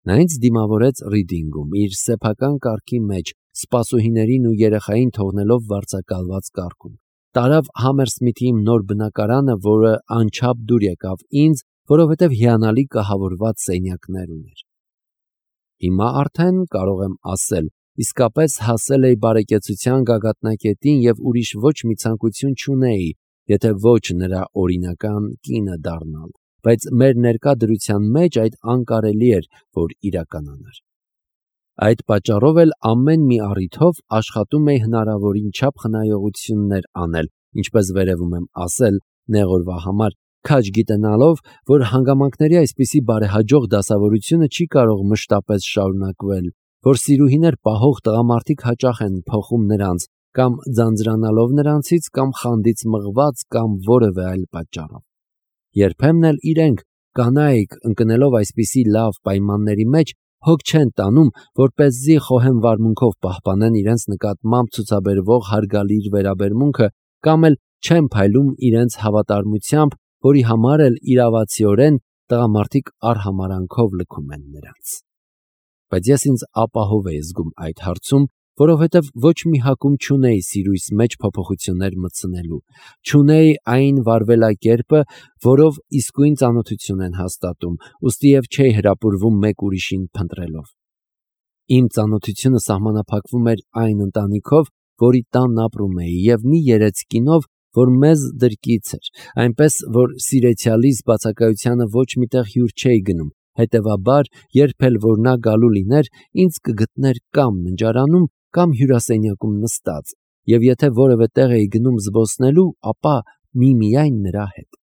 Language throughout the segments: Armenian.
Նա ինձ դիմավորեց ռիդինգում, իր սեփական կարգի մեջ, սպասուհիներին ու երեխային թողնելով վարձակալված կարգում։ Տարավ Համերսմիթի իմ նոր բնակարանը, որը անչափ դուր եկավ ինձ, որովհետև հիանալի կահավորված սենյակներ ուներ։ Հիմա արդեն կարող եմ ասել, իսկապես հասել էի բարեկեցության գագաթնակետին և ուրիշ ոչ մի ցանկություն չունեի, եթե ոչ նրա օրինական կինը դառնալ, բայց մեր ներկա դրության մեջ այդ անկարելի էր, որ իրականանար։ Այդ պատճառով էլ ամեն մի առիթով աշխատում էի հնարավորին չափ խնայողություններ անել, ինչպես վերևում եմ ասել, նեղ օրվա համար, քաջ գիտենալով, որ հանգամանքների այսպիսի բարեհաջող դասավորությունը չի կարող մշտապես շարունակվել, որ սիրուհիներ պահող տղամարդիկ հաճախ են փոխում նրանց, կամ ձանձրանալով նրանցից, կամ խանդից մղված, կամ որևէ այլ պատճառով։ Երբեմն էլ իրենք, կանայք, ընկնելով այսպիսի լավ պայմանների մեջ, հոգ չեն տանում, որպեսզի խոհեմ վարմունքով պահպանեն իրենց նկատմամբ ցուցաբերվող հարգալից վերաբերմունքը, կամ էլ չեն փայլում իրենց հավատարմությամբ, որի համար էլ իրավացիորեն տղամարդիկ արհամարանքով լքում են նրանց։ Բայց ես ինձ ապահով էի զգում այդ հարցում, որովհետև ոչ մի հակում չունեի սիրույս մեջ փոփոխություններ մտցնելու, չունեի այն վարվելակերպը, որով իսկույն ծանոթություն են հաստատում, ուստի և չէի հրապուրվում մեկ ուրիշին փնտրելով։ Իմ ծանոթությունը սահմանափակվում էր այն ընտանիքով, որի տանն ապրում էի, և մի երեցկինով, որ մեզ դրկից էր, այնպես, որ սիրեցյալիս բացակայությանը ոչ միտեղ հյուր չէի գնում, հետևաբար, երբ էլ որ նա գալու լիներ, ինձ կգտներ կամ ննջարանում, կամ հյուրասենյակում նստած, և եթե որևէ տեղ էի գնում զբոսնելու, ապա միմիայն նրա հետ։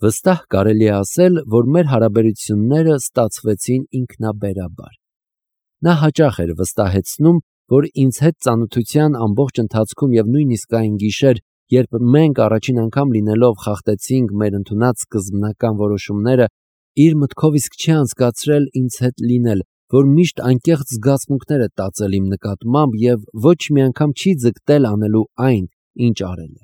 Վստահ կարելի է ասել, որ մեր հարաբերությունները ստացվեցին ինքնաբերաբար։ Նա հաճախ էր վստահեցնում, որ ինձ հետ ծանոթության ամբողջ ընթացքում և նույնիսկ այն գիշեր, երբ մենք առաջին անգամ լինելով խախտեցինք մեր ընդունած սկզբնական որոշումները, իր մտքով իսկ չի անցկացրել ինձ հետ լինել, որ միշտ անկեղծ զգացմունքներ է տածել իմ նկատմամբ և ոչ մի անգամ չի ձգտել անելու այն, ինչ արել է։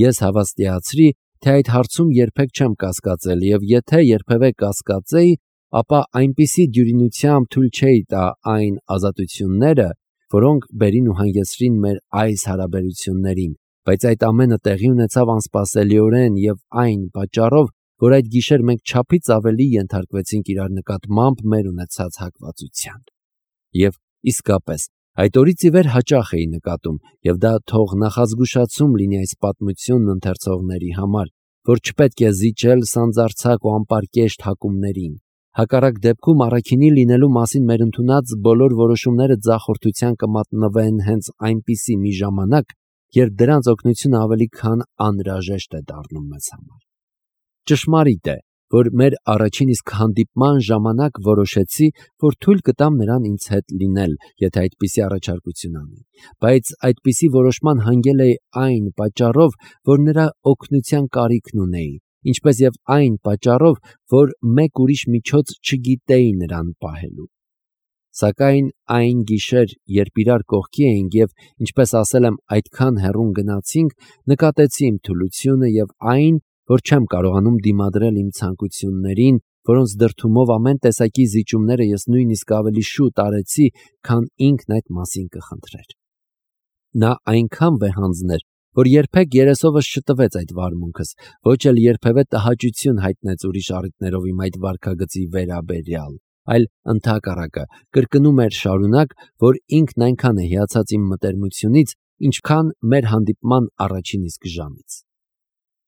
Ես հավաստիացրի, թե այդ հարցում երբեք չեմ կասկածել, և եթե երբևէ կասկածեի, ապա այնպիսի դյուրինությամբ թույլ չէի տա այն ազատությունները, որոնք բերին ու հանգեցրին մեր այս հարաբերություններին, բայց այդ ամենը տեղի ունեցավ անսպասելիորեն և այն պատճառով, որ այդ գիշեր մենք չափից ավելի ենթարկվեցինք իրար նկատմամբ մեր ունեցած հակվածության։ Եվ իսկապես, այդ օրից ի վեր հաճախ էի նկատում, և դա թող նախազգուշացում լինի այս պատմությունն ընթերցողների համար, որ չպետք է զիջել սանձարձակ ու անպարկեշտ հակումներին։ Հակառակ դեպքում առաքինի լինելու մասին մեր ընդունած բոլոր որոշումները ձախորդության կմատնվեն հենց այնպիսի մի ժամանակ, երբ դրանց օգնությունը ավելի քան անհրաժեշտ է դառնում մեզ համար։ Ճշմարիտ է, որ մեր առաջին իսկ հանդիպման ժամանակ որոշեցի, որ թույլ կտամ նրան ինձ հետ լինել, եթե այդպիսի առաջարկություն անի, բայց այդպիսի որոշման հանգել էի այն պատճառով, որ նրա օգնության կարիքն ունեի, ինչպես և այն պատճառով, որ մեկ ուրիշ միջոց չգիտեի նրան պահելու։ Սակայն այն գիշեր, երբ իրար կողքի էինք և, ինչպես ասել եմ, այդքան հեռուն գնացինք, նկատեցի իմ թուլությունը և այն, որ չեմ կարողանում դիմադրել իմ ցանկություններին, որոնց դրդումով ամեն տեսակի զիջումները ես նույնիսկ ավելի շուտ արեցի, քան ինքն այդ մասին կխնդրեր։ Նա այնքան վեհանձն էր, որ երբեք երեսովս չտվեց այդ վարմունքս, ոչ էլ երբևէ տհաճություն հայտնեց ուրիշ առիթներով իմ այդ վարքագծի վերաբերյալ, այլ ընդհակառակը կրկնում էր շարունակ, որ ինքն այնքան է հիացած իմ մտերմությունից, ինչքան մեր հանդիպման առաջին իսկ ժամից։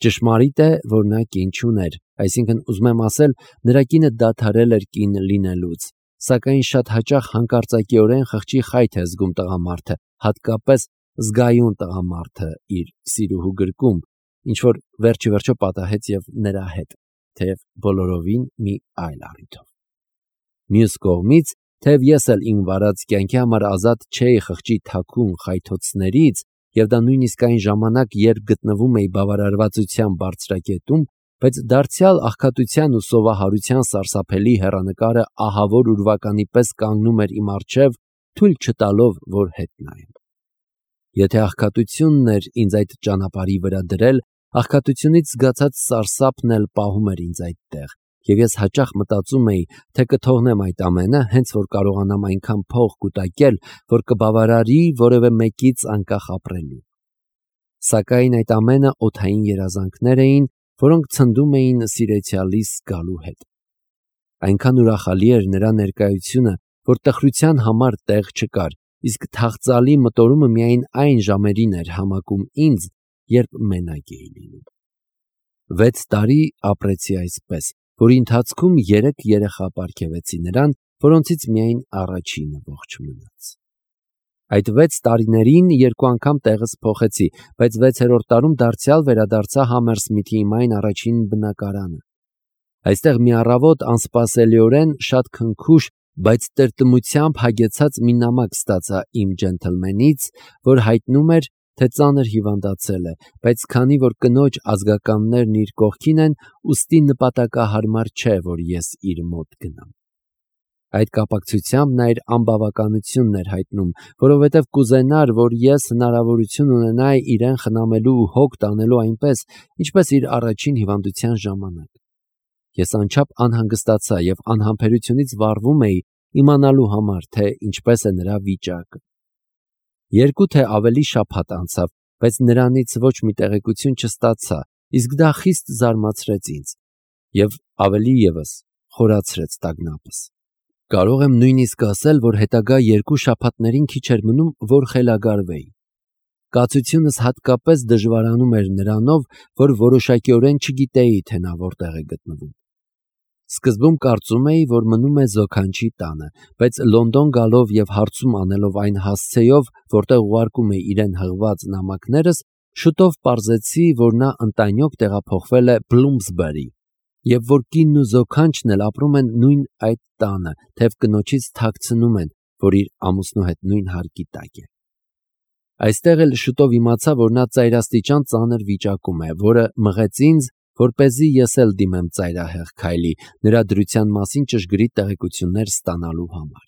Ճշմարիտ է, որ նա կին չուներ, այսինքն ուզում եմ ասել, նրա կինը դադարել էր կին լինելուց, սակայն շատ հաճախ հանկարծակիորեն խղճի խայթ է զգում տղամարդը, հատկապես զգայուն տղամարդը իր սիրուհու գրկում, ինչ-որ վերջիվերջո պատահեց և նրա հետ, թեև բոլորովին մի այլ առիթով։ Մյուս կողմից, թեև ես էլ իմ վարած կյանքի համար ազատ չէի խղճի թաքուն խայթոցներից, և դա նույնիսկ այն ժամանակ, երբ գտնվում էի բավարարվածության բարձրակետում, բայց դարձյալ աղքատության ու սովահարության սարսափելի հեռանկարը ահավոր ուրվականի պես կանգնում էր իմ առջև, թույլ չտալով, որ հետ նայեմ։ Եթե աղքատությունն էր ինձ այդ ճանապարհի վրա դրել, աղքատությունից զգացած սարսափն էլ պահում էր ինձ այդտեղ, եւ ես հաճախ մտածում էի, թե կթողնեմ այդ ամենը, հենց որ կարողանամ այնքան փող կուտակել, որ կբավարարի որևէ մեկից անկախ ապրելու։ Սակայն այդ ամենը օդային երազանքներ էին, որոնք ցնդում էին սիրեցյալիս գալու հետ։ Այնքան ուրախալի էր նրա ներկայությունը, որ տխրության համար տեղ չկար, իսկ թախծալի մտորումը միայն այն ժամերին էր համակում ինձ, երբ մենակ էի լինում։ 6 տարի ապրեցի այսպես, որի ընթացքում 3 երեխա պարգևեցի նրան, որոնցից միայն առաջինը ողջ մնաց։ Այդ 6 տարիներին 2 անգամ տեղս փոխեցի, բայց 6-րդ տարում դարձյալ վերադարձա Համերսմիթի իմ այն առաջին բնակարանը։ Այստեղ մի առավոտ անսպասելիորեն շատ քնքուշ, բայց տրտմությամբ հագեցած մի նամակ ստացա իմ ջենթլմենից, որ հայտնում էր, թե ծանր հիվանդացել է, բայց քանի որ կնոջ ազգականներն իր կողքին են, ուստի նպատակահարմար չէ, որ ես իր մոտ գնամ։ Այդ կապակցությամբ նա իր անբավականությունն էր հայտնում, որովհետև կուզենար, որ ես հնարավորություն ունենայի իրեն խնամելու ու հոգ տանելու այնպես, ինչպես իր առաջին հիվանդության ժամանակ։ Ես անչափ անհանգստացա եւ անհամբերությունից վառվում էի իմանալու համար, թե ինչպես է նրա վիճակը։ 2 թե ավելի շաբաթ անցավ, բայց նրանից ոչ մի տեղեկություն չստացա, իսկ դա խիստ զարմացրեց ինձ եւ ավելի եւս խորացրեց տագնապս։ Կարող եմ նույնիսկ ասել, որ հետագա 2 շաբաթներին քիչ էր մնում, որ խելագարվեի։ Կացությունս հատկապես դժվարանում էր նրանով, որ որոշակիորեն չգիտեի, թե նա որտեղ է գտնվում։ Սկզբում կարծում էի, որ մնում է զոքանչի տանը, բայց Լոնդոն գալով եւ հարցում անելով այն հասցեով, որտեղ ուղարկում է իրեն հղված նամակներս, շուտով պարզեցի, որ նա ընտանյոք տեղափոխվել է Բլումսբերի եւ որ կինն ու զոքանչն էլ ապրում են նույն այդ տանը, թեև կնոջից թաքցնում են, որ իր ամուսնու հետ նույն հարկի տակ է։ Այստեղ էլ շուտով իմացա, որ նա ծայրաստիճան ծանր վիճակում է, որը մղեց ինձ, որպեսզի ես էլ դիմեմ ծայրահեղ քայլի, նրա դրության մասին ճշգրիտ տեղեկություններ ստանալու համար։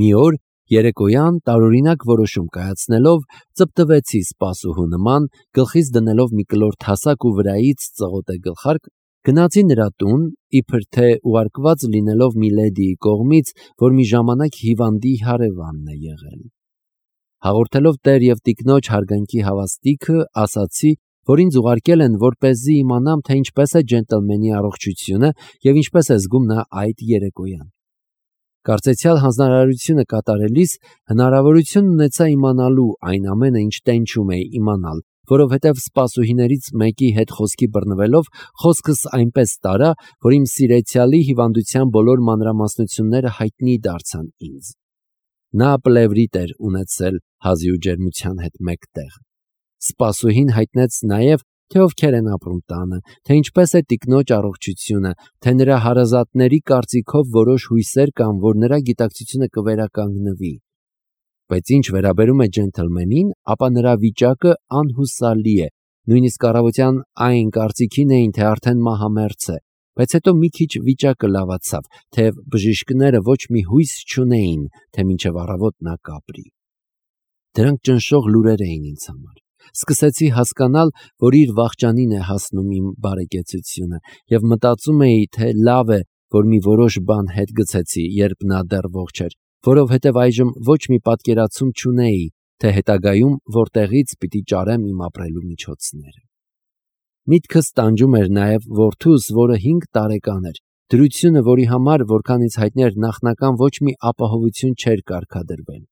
Մի օր երեկոյան տարօրինակ որոշում կայացնելով ծպտվեցի սպասուհու նման, գլխիս դնելով մի կլոր թասակ ու վրայից ծղոտե գլխարկ, գնացի նրա տուն, իբր թե ուղարկված լինելով մի լեդիի կողմից, որ մի ժամանակ հիվանդի հարևանն է եղել։ Հաղորդելով տեր եւ տիկնոջ հարգանքի հավաստիքը, ասացի, որ ինձ ուղարկել են, որպեսզի իմանամ, թե ինչպես է ջենտլմենի առողջությունը եւ ինչպես է զգում նա այդ երեկոյան։ Կարծեցյալ հանձնարարությունը կատարելիս հնարավորություն ունեցա իմանալու այն ամենը, ինչ տենչում էի իմանալ, որովհետև սպասուհիներից մեկի հետ խոսքի բռնվելով խոսքս այնպես տարա, որ իմ սիրեցյալի հիվանդության բոլոր մանրամասնությունները հայտնի դարձան ինձ։ Նա պլևրիտ էր ունեցել հազի ու ջերմության հետ մեկտեղ։ Սպասուհին հայտնեց նաև, թե ովքեր են ապրում տանը, թե ինչպես է տիկնոջ առողջությունը, թե նրա հարազատների կարծիքով որոշ հույսեր կան, որ նրա գիտակցությունը կվերականգնվի։ Բայց ինչ վերաբերում է ջենթլմենին, ապա նրա վիճակը անհուսալի է, նույնիսկ առավոտյան այն կարծիքին էին, թե արդեն մահամերձ է, բայց հետո մի քիչ վիճակը լավացավ, թեև բժիշկները ոչ մի հույս չունեին, թե մինչև առավոտ նա կապրի։ Դրանք ճնշող լուրեր էին ինձ համար։ Սկսեցի հասկանալ, որ իր վախճանին է հասնում իմ բարեկեցությունը եւ մտածում էի, թե լավ է, որ մի որոշ բան հետ գցեցի, երբ նա դեռ ողջ էր, որովհետեւ այժմ ոչ մի պատկերացում չունեի, թե հետագայում որտեղից պիտի ճարեմ իմ ապրելու միջոցները։ Միտքս տանջում էր նաեւ որդուս, որը 5 տարեկան էր, դրությունը, որի համար, որքանից հայտնի էր, նախնական ոչ մի ապահովություն չէր կարգադրվել։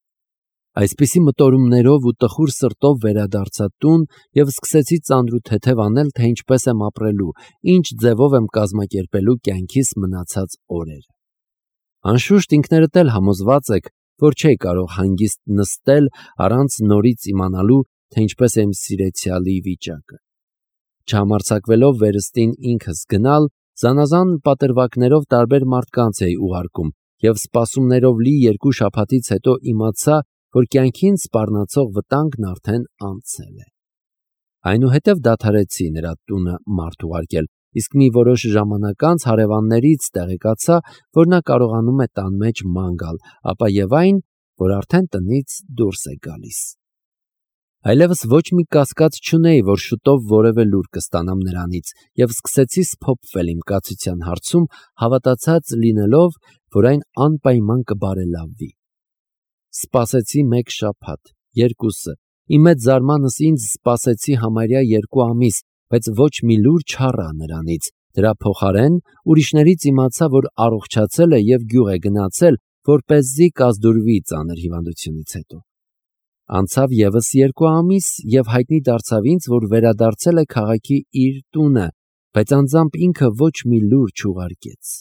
Այսպիսի մտորումներով ու տխուր սրտով վերադարձա տուն եւ սկսեցի ծանրութեթև անել, թե ինչպես եմ ապրելու, ինչ ձևով եմ կազմակերպելու կյանքիս մնացած օրերը։ Անշուշտ ինքներդ էլ համոզված եք, որ չէի կարող հանգիստ նստել առանց նորից իմանալու, թե ինչպես է իմ սիրեցյալի վիճակը։ Չհամարձակվելով վերստին ինքս գնալ, զանազան պատրվակներով տարբեր մարդկանց էի ուղարկում եւ սպասումներով լի 2 շաբաթից հետո իմացա, որ կյանքին սպառնացող վտանգն արդեն անցել է։ Այնուհետև դադարեցի նրա տունը մարդ ուղարկել, իսկ մի որոշ ժամանակ անց հարևաններից տեղեկացա, որ նա կարողանում է տան մեջ ման գալ, ապա եւ այն, որ արդեն տնից դուրս է գալիս։ Այլևս ոչ մի կասկած չունեի, որ շուտով որևէ լուր կստանամ նրանից, եւ սկսեցի սփոփվել իմ կացության հարցում, հավատացած լինելով, որ այն անպայման կբարելավվի։ Սպասեցի 1 շաբաթ, 2-ը, իմ մեծ զարմանս ինձ սպասեցի համարյա 2 ամիս, բայց ոչ մի լուր չառա նրանից, դրա փոխարեն ուրիշներից իմացա, որ առողջացել է եւ գյուղ է գնացել, որպեսզի կազդուրվի ծանր հիվանդությունից հետո։ Անցավ եւս 2 ամիս եւ հայտնի դարձավ ինձ, որ վերադարձել է քաղաքի իր տունը, բայց անձամբ ինքը ոչ մի լուր չուղարկեց։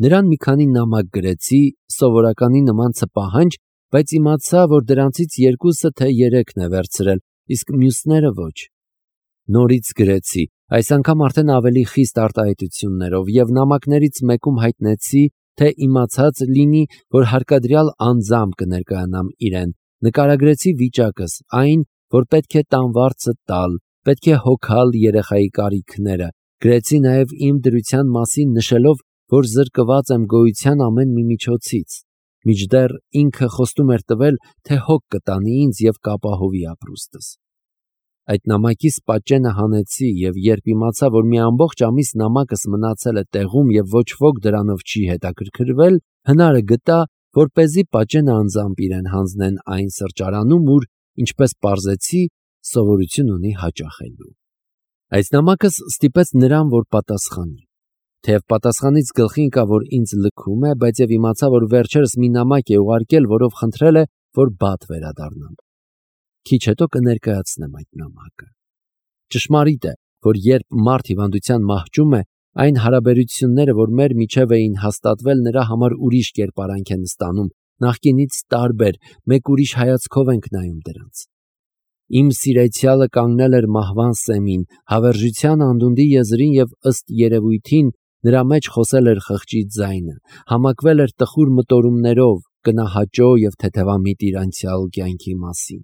Նրան մի քանի նամակ գրեցի, սովորականի նման ցպահանջ, բայց իմացա, որ դրանցից 2-ը թե 3-ն է վերցրել, իսկ մյուսները ոչ։ Նորից գրեցի, այս անգամ արդեն ավելի խիստ արտահայտություններով եւ նամակներից մեկում հայտնեցի, թե իմացած լինի, որ հարկադրյալ անձամբ կներկայանամ իրեն։ Նկարագրեցի վիճակս, այն, որ պետք է տանվարձը տալ, պետք է հոգալ երեխայի կարիքները, գրեցի նաև իմ դրության մասին նշելով, որ զրկված եմ գոյության ամեն մի միջոցից, մինչդեռ ինքը խոստում էր տվել, թե հոգ կտանի ինձ և կապահովի ապրուստս։ Այդ նամակիս պատճենը հանեցի և երբ իմացա, որ մի ամբողջ ամիս նամակս մնացել է տեղում և ոչ ոք դրանով չի հետաքրքրվել, հնարը գտա, որպեսզի պատճենը անձամբ իրեն հանձնեն այն սրճարանում, ուր, ինչպես պարզեցի, սովորություն ունի հաճախելու։ Այս նամակս ստիպեց նրան, որ պատասխանի։ Թեև պատասխանից գլխի ընկավ, որ ինձ լքում է, բայց և իմացա, որ վերջերս մի նամակ է ուղարկել, որով խնդրել է, որ բադ վերադառնամ։ Քիչ հետո կներկայացնեմ այդ նամակը։ Ճշմարիտ է, որ երբ մարդ հիվանդության մահճում է, այն հարաբերությունները, որ մեր միջև էին հաստատվել, նրա համար ուրիշ կերպարանք են ստանում, նախկինից տարբեր, մեկ ուրիշ հայացքով ենք նայում դրանց։ Իմ սիրեցյալը կանգնել էր մահվան սեմին, հավերժության անդունդի եզրին և ըստ երևույթին նրա մեջ խոսել էր խղճի ձայնը, համակվել էր տխուր մտորումներով, կնահաճո և թեթևամիտ իր անցյալ կյանքի մասին։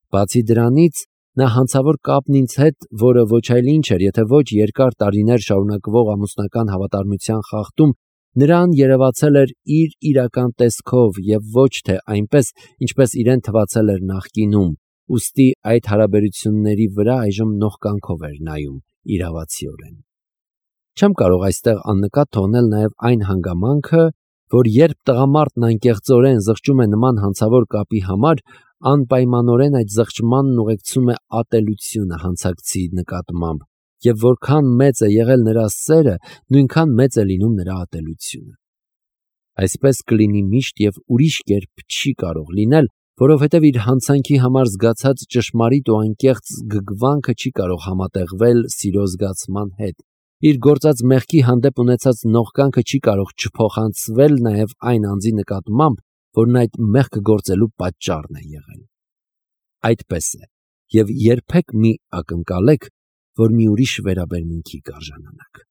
Բացի դրանից, նա հանցավոր կապն ինձ հետ, որը ոչ այլ ինչ էր, եթե ոչ երկար տարիներ շարունակվող ամուսնական հավատարմության խախտում, նրան երևացել էր իր իրական տեսքով և ոչ թե այնպես, ինչպես իրեն թվացել էր նախկինում, ուստի այդ հարաբերությունների վրա այժմ նողկանքով էր նայում իրավացիորեն։ Չեմ կարող այստեղ աննկատ թողնել նաև այն հանգամանքը, որ երբ տղամարդն անկեղծորեն զղջում է նման հանցավոր կապի համար, անպայմանորեն այդ զղջմանն ուղեկցում է ատելությունը հանցակցի նկատմամբ, և որքան մեծ է եղել նրա սերը, նույնքան մեծ է լինում նրա ատելությունը։ Այսպես կլինի միշտ և ուրիշ կերպ չի կարող լինել, որովհետև իր հանցանքի համար զգացած ճշմարիտ ու անկեղծ զգգվանքը չի կարող համատեղվել սիրո զգացման հետ, իր գործած մեղքի հանդեպ ունեցած նողկանքը չի կարող չփոխանցվել նաև այն անձի նկատմամբ, որն այդ մեղքը գործելու պատճառն է եղել։ Այդպես է, և երբեք մի ակնկալեք, որ մի ուրիշ վերաբերմունքի կարժանանաք։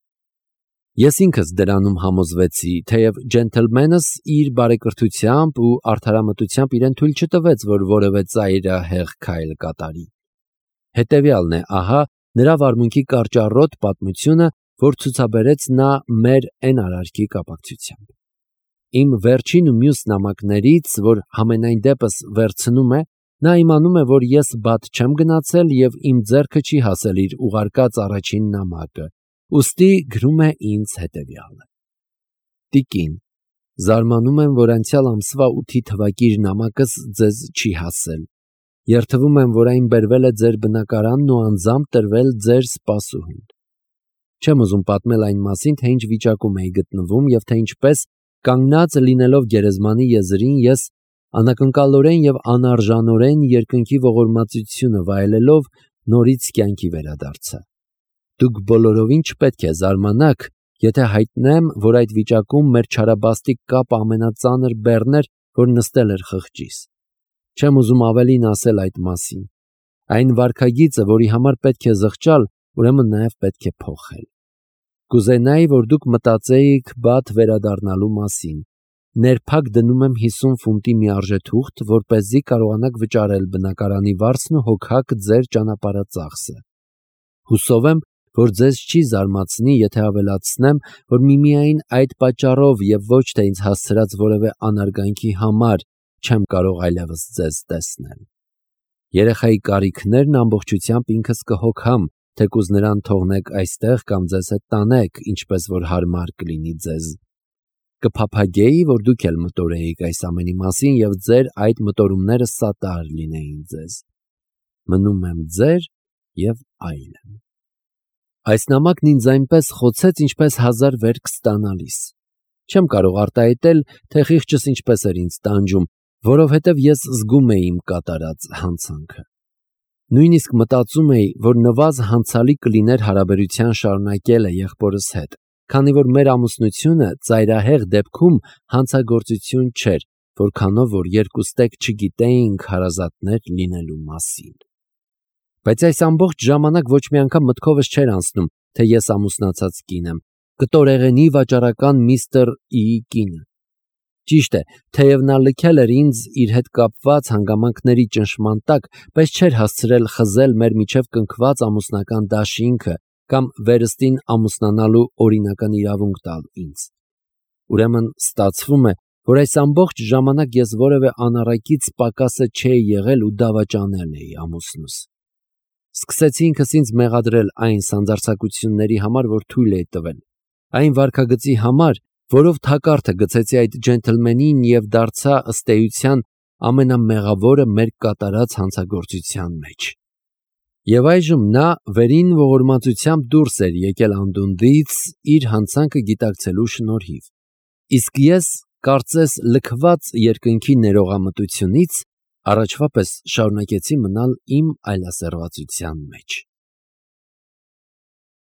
Ես ինքս դրանում համոզվեցի, թեև ջենթլմենս իր բարեկրթությամբ ու արդարամտությամբ իրեն թույլ չտվեց, որ որևէ ծայրահեղ քայլ կատարի։ Հետևյալն է, ահա, նրա վարմունքի կարճառոտ պատմությունը, որ ցուցաբերեց նա մեր N արարքի կապակցությամբ։ Իմ վերջին ու մյուս նամակներից, որ համենայն դեպս վերցնում է, նա իմանում է, որ ես բադ չեմ գնացել և իմ ձեռքը չի հասել իր ուղարկած առաջին նամակը, ուստի գրում է ինձ հետևյալը. Տիկին, զարմանում եմ, որ անցյալ ամսվա 8-ի թվակիր նամակս ձեզ չի հասել։ Երդվում եմ, որ այն բերվել է ձեր բնակարանն ու անձամբ տրվել ձեր սպասուհուն։ Չեմ ուզում պատմել այն մասին, թե ինչ վիճակում էի գտնվում և թե ինչպես, կանգնած լինելով գերեզմանի եզրին, ես անակնկալորեն և անարժանորեն երկնքի ողորմածությունը վայելելով նորից կյանքի վերադարձա։ Դուք բոլորովին չպետք է զարմանաք, եթե հայտնեմ, որ այդ վիճակում մեր չարաբաստիկ կապը ամենածանր բեռն էր, որ նստել էր խղճիս։ Չեմ ուզում ավելին ասել այդ մասին։ Այն վարքագիծը, որի համար պետք է զղջալ, ուրեմն նաև պետք է փոխել։ Կուզենայի, որ դուք մտածեիք բադ վերադառնալու մասին։ Ներփակ դնում եմ 50 ֆունտի մի արժեթուղթ, որպեսզի կարողանաք վճարել բնակարանի վարձն ու հոգաք ձեր ճանապարհածախսը։ Հուսով եմ, որ ձեզ չի զարմացնի, եթե ավելացնեմ, որ միմիայն այդ պատճառով և ոչ թե ինձ հասցրած որևէ անարգանքի համար չեմ կարող այլևս ձեզ տեսնել։ Երեխայի կարիքներն ամբողջությամբ ինքս կհոգամ, թեկուզ նրան թողնեք այստեղ կամ ձեզ հետ տանեք, ինչպես որ հարմար կլինի ձեզ։ Կփափագեի, որ դուք էլ մտորեիք այս ամենի մասին և ձեր այդ մտորումները սատար լինեին ձեզ։ Մնում եմ ձեր և այլն։ Այս նամակն ինձ այնպես խոցեց, ինչպես 1000 վերք ստանալիս։ Չեմ կարող արտահայտել, թե խիղճս ինչպես էր ինձ տանջում, որովհետև ես զգում էի իմ կատարած հանցանքը։ Նույնիսկ մտածում էի, որ նվազ հանցալի կլիներ հարաբերության շարունակելը եղբորս հետ, քանի որ մեր ամուսնությունը ծայրահեղ դեպքում հանցագործություն չէր, որքանով որ երկուստեք չգիտեինք հարազատներ լինելու մասին։ Բայց այս ամբողջ ժամանակ ոչ մի անգամ մտքովս չէր անցնում, թե ես ամուսնացած կին եմ, կտորեղենի վաճառական միստր E-ի կինը։ Ճիշտ է, թեև նա լքել էր ինձ իր հետ կապված հանգամանքների ճնշման տակ, բայց չէր հասցրել խզել մեր միջև կնքված ամուսնական դաշինքը կամ վերստին ամուսնանալու օրինական իրավունք տալ ինձ։ Ուրեմն ստացվում է, որ այս ամբողջ ժամանակ ես որևէ անառակից պակասը չէի եղել ու դավաճանել էի ամուսնուս։ Սկսեցի ինքս ինձ մեղադրել այն սանձարձակությունների համար, որ թույլ էի տվել, այն վարքագծի համար, որով թակարդը գցեցի այդ ջենթլմենին և դարձա ըստ էության ամենամեղավորը մեր կատարած հանցագործության մեջ։ Եվ այժմ նա վերին ողորմածությամբ դուրս էր եկել անդունդից իր հանցանքը գիտակցելու շնորհիվ, իսկ ես, կարծես լքված երկնքի ներողամտությունից, առաջվա պես շարունակեցի մնալ իմ այլասերվածության մեջ։